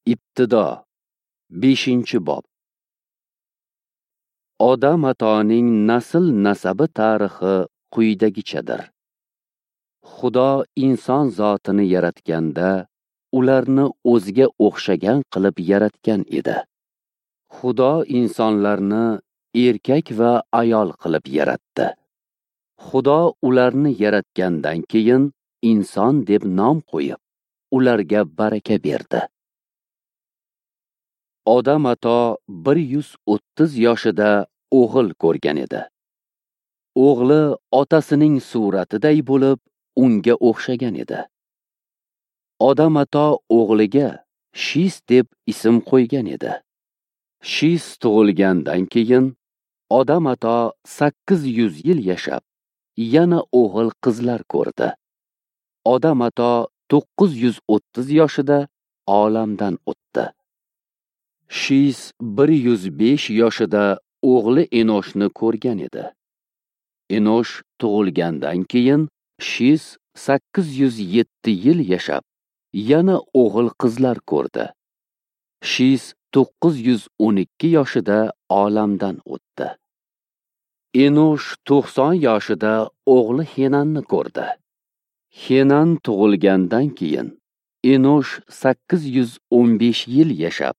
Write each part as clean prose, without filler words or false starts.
Ibtido 5-bob. Odam atoning nasl nasabi tarixi quyidagichadir. Xudo inson zotini yaratganda ularni o'ziga o'xshagan qilib yaratgan edi. Xudo insonlarni erkak va ayol qilib yaratdi. Xudo ularni yaratgandan keyin inson deb nom qo'yib, ularga baraka berdi. Odam ato 130 yoshida o'g'il ko'rgan edi. O'g'li otasining suratiday bo'lib, unga o'xshagan edi. Odam ato o'g'liga Shis deb ism qo'ygan edi. Shis tug'ilgandan keyin Odam ato 800 yil yashab, yana o'g'il qizlar ko'rdi. Odam ato 930 yoshida olamdan o'tdi. Shis 105 yoshida o'g'li Enoshni ko'rgan edi. Enosh tug'ilgandan keyin Shis 807 yil yashab, yana o'g'il qizlar ko'rdi. Shis 912 yoshida olamdan o'tdi. Enosh 90 yoshida o'g'li Henanni ko'rdi. Henan tug'ilgandan keyin Enosh 815 yil yashab,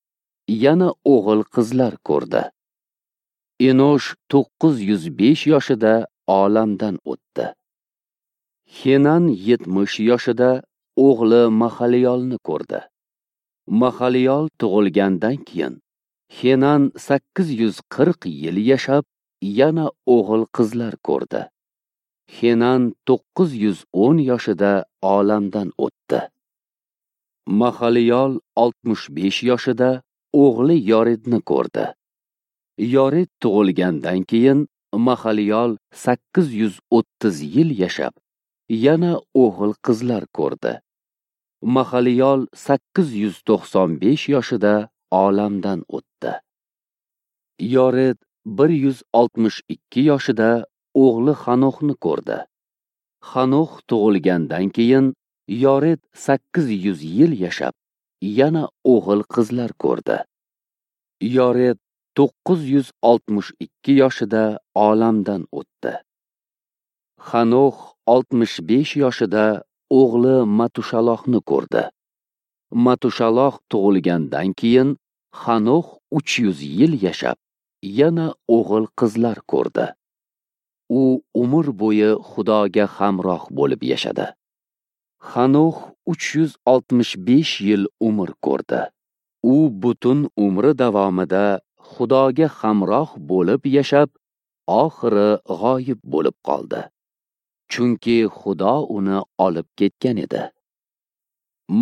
yana o'g'il qizlar ko'rdi. Enosh 905 yoshida olamdan o'tdi. Henan 70 yoshida o'g'li Mahaliyolni ko'rdi. Mahaliyol tug'ilgandan keyin Henan 840 yil yashab, yana o'g'il qizlar ko'rdi. Henan 910 yoshida olamdan o'tdi. Mahaliyol 65 yoshida o'g'li Yoridni ko'rdi. Yorid tug'ilgandan keyin Mahaliyol 830 yil yashab, yana o'g'il qizlar ko'rdi. Mahaliyol 895 yoshida olamdan o'tdi. Yorid 162 yoshida o'g'li Xanoxni ko'rdi. Xanox tug'ilgandan keyin Yorid 800 yil yashab, yana o'g'il qizlar ko'rdi. Yorid 962 yoshida olamdan o'tdi. Xanox 65 yoshida o'g'li Matushalohni ko'rdi. Matushaloh tug'ilgandan keyin Xanox 300 yil yashab, yana o'g'il qizlar ko'rdi. U umr bo'yi Xudoga hamroh bo'lib yashadi. Xanox 365 yil umr ko'rdi. U butun umri davomida Xudoga hamroh bo'lib yashab, oxiri g'oyib bo'lib qoldi. Chunki Xudo uni olib ketgan edi.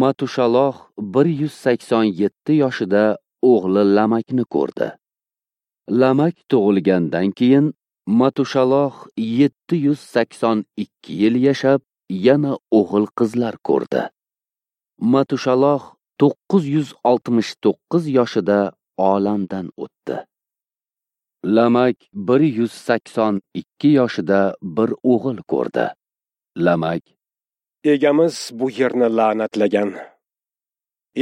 Matushaloh 187 yoshida o'g'li Lamakni ko'rdi. Lamak tug'ilgandan keyin Matushaloh 782 yil yashab, yana o'g'il qizlar ko'rdi. Matushaloh 969 yoshida olamdan o'tdi. Lamak 182 yoshida bir o'g'il ko'rdi. Lamak: Egamiz bu yerni la'natlagan.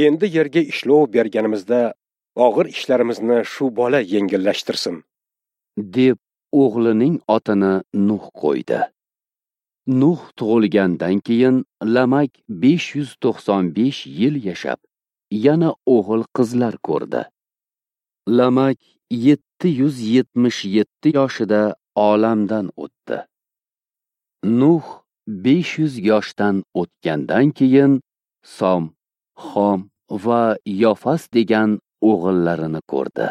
Endi yerga ishlov berganimizda og'ir ishlarimizni shu bola yengillashtirsin, deb o'g'lining otini Nuh qo'ydi. Nuh tug'ilgandan keyin Lamak 595 yil yashab, yana o'g'il qizlar ko'rdi. Lamak 777 yoshida olamdan o'tdi. Nuh 500 yoshdan o'tgandan keyin Som, Xom va Yofas degan o'g'illarini ko'rdi.